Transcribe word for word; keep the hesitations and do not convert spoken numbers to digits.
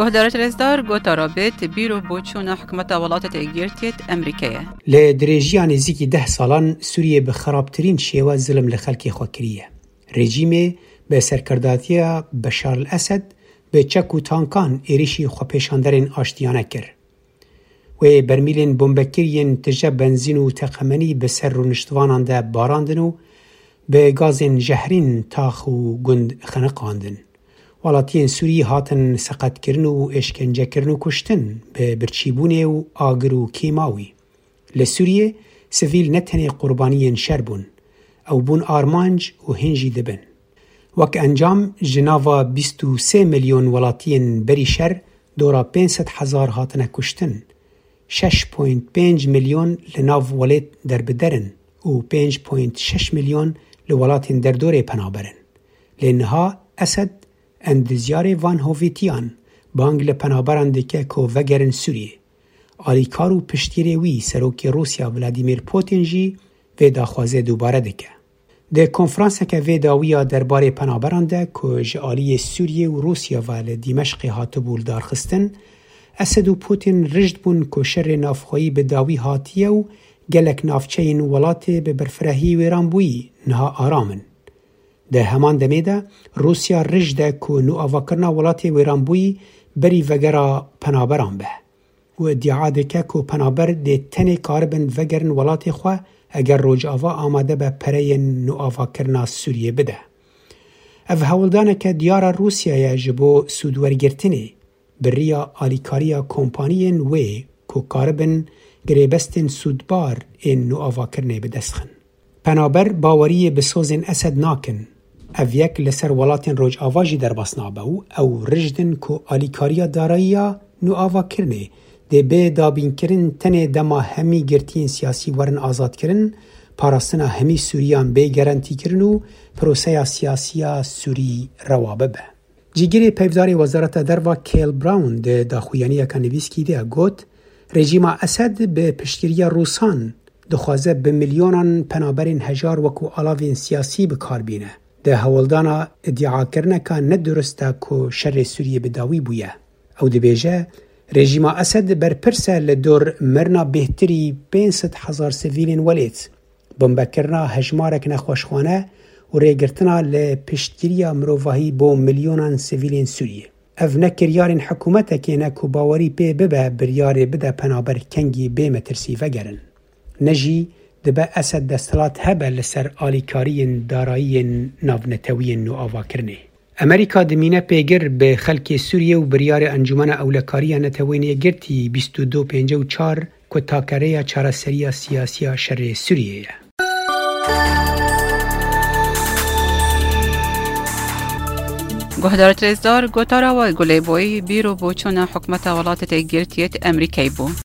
Guhdarêt rêzdar, gotara bêt bîr û boçûna hikûmeta Welatêt Êkgirtiyêt Amerîkayê. Li dirêjiya nêzîkî deh salan Sûriyê bi xerabtirîn şêwe zilim li xelkê xwe kiriye. Rejîmê bi serkirdatiya Beşar el Esed bi çek û tankan êrişî xwepêşanderên aştiyane kir. Wê bermîlên bombekir yên tije benzîn û teqemenî bi ser rûniştvanan de barandin û bi gazên jehrîn tax û gund xeniqandin. Welatiyên Sûrî hatin seqetkirin û êşkencekirin û kuştin bi birçîbûnê û agir û kêmawî. Li Sûriyê sivîl ne tenê qurbaniyên şer bûn, ew bûn armanc û hîn jî dibin. Wek encam, ji nava bîst û sê milyon welatiyên berî şer dora pênc sed hezar hatine kuştin, şeş point pênc milyon li nav welêt derbider in û pênc point şeş milyon li welatên derdorê penaber in. Lê niha Esed endizyarê van hovîtiyan bang li penaberan dike ku vegerin Sûriyê. Alîkar û piştgirê wî, serokê Rûsya Vladimir Putin jî vê daxwazê dubare dike. Di konferanseke vê dawiya derbarê penaberan de ku ji aliyê Sûriyê û Rûsya ve li Dîmeşqê hatibû lidarxistin, Esed û Putin rijd bûn ku şerê navxweyî bi dawî hatiye û gelek navçeyên welatê bi berfirehî wêranbûyî niha aram in. Di heman demê de Rûsya rij de ku nûavakirina welatê wêranbûyî berî vegera penaberan be û îdia dike ku penaber dê tenê karibin vegerin welatê xwe eger Rojava amade be pereyên nûavakirina Sûriyê bide. Ev hewldaneke diyar a Rûsyayê ji bo sûdwergirtinê bi riya alîkariya kompaniyên wê ku karibin girêbestên sûdbar ên nûavakirinê bi dest xin. Penaber baweriyê bi sozên Esed nakin. Ev yek li ser welatên Rojava jî derbas nabe û ew rijd in ku alîkariya darayiya nûavakirinê dê bê dabînkirin tenê dema hemî girtiyên siyasî werin azadkirin, parastina hemî Sûriyan bê garantîkirin û proseya siyasiya Sûrî rewa bibe. Cîgirê peyvdarê Wezareta Derva Kale Brown di daxuyaniyeke nivîskî de got, Rejîma Esed bi piştgiriya Rûsan dixwaze bi milyonan penaberên hejar wekû alavên siyasî bi kar bîne. Di hewldana îdiakirineka nedurist de ku şerê Sûriyê bi dawî bûye. Ew dibêje, Rejîma Esed berpirs e li dor mirina bêhtirî pênc sed hezar sivîlên welêt, bombekirina hejmarek nexweşxane û rêgirtina li piştgiriya mirovahî bo milyonan sivîlên Sûriyê. Ev ne kiryarên hikûmetekê ne ku bawerî pê bibe biryarê bide penaber kengî bê metirsî vegerin. Ne jî dibe Esed desthilat hebe li ser alîkariyên darayiyên navnetewiyên nûavakirinê. Amerîka dimîne pêgir bi xelkê Sûriyê û biryarê Encûmena Ewlekariya Neteweyên Yekgirtî bîst û du pêncî û çar ku takereya çareseriya siyasiya şerê Sûriyê ye. Guhdarêt rêzdar, gotara we Gulê Boyî bîr û boçûna hikûmeta Welatêt Êkgirtiyêt Amerîkayê bû.